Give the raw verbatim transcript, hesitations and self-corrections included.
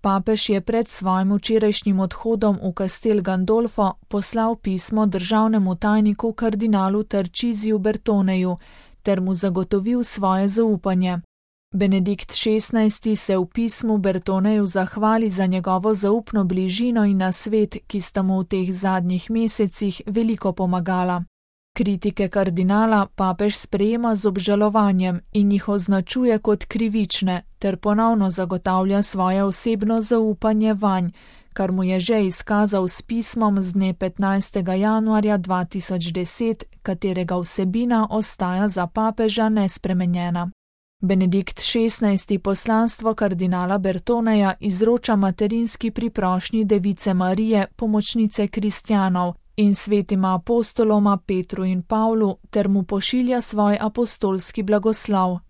Papež je pred svojim včerajšnjim odhodom v Castel Gandolfo poslal pismo državnemu tajniku kardinalu Tarcisiju Bertoneju ter mu zagotovil svoje zaupanje. Benedikt šestnajsti se v pismu Bertoneju zahvali za njegovo zaupno bližino in nasvet, ki sta mu v teh zadnjih mesecih veliko pomagala. Kritike kardinala papež sprejema z obžalovanjem in jih označuje kot krivične ter ponovno zagotavlja svoje osebno zaupanje vanj, kar mu je že izkazal s pismom z dne petnajstega januarja dva tisoč deset, katerega vsebina ostaja za papeža nespremenjena. Benedikt šestnajsti poslanstvo kardinala Bertoneja izroča materinski priprošnji Device Marije, pomočnice kristjanov, in svetima apostoloma Petru in Pavlu ter mu pošilja svoj apostolski blagoslov.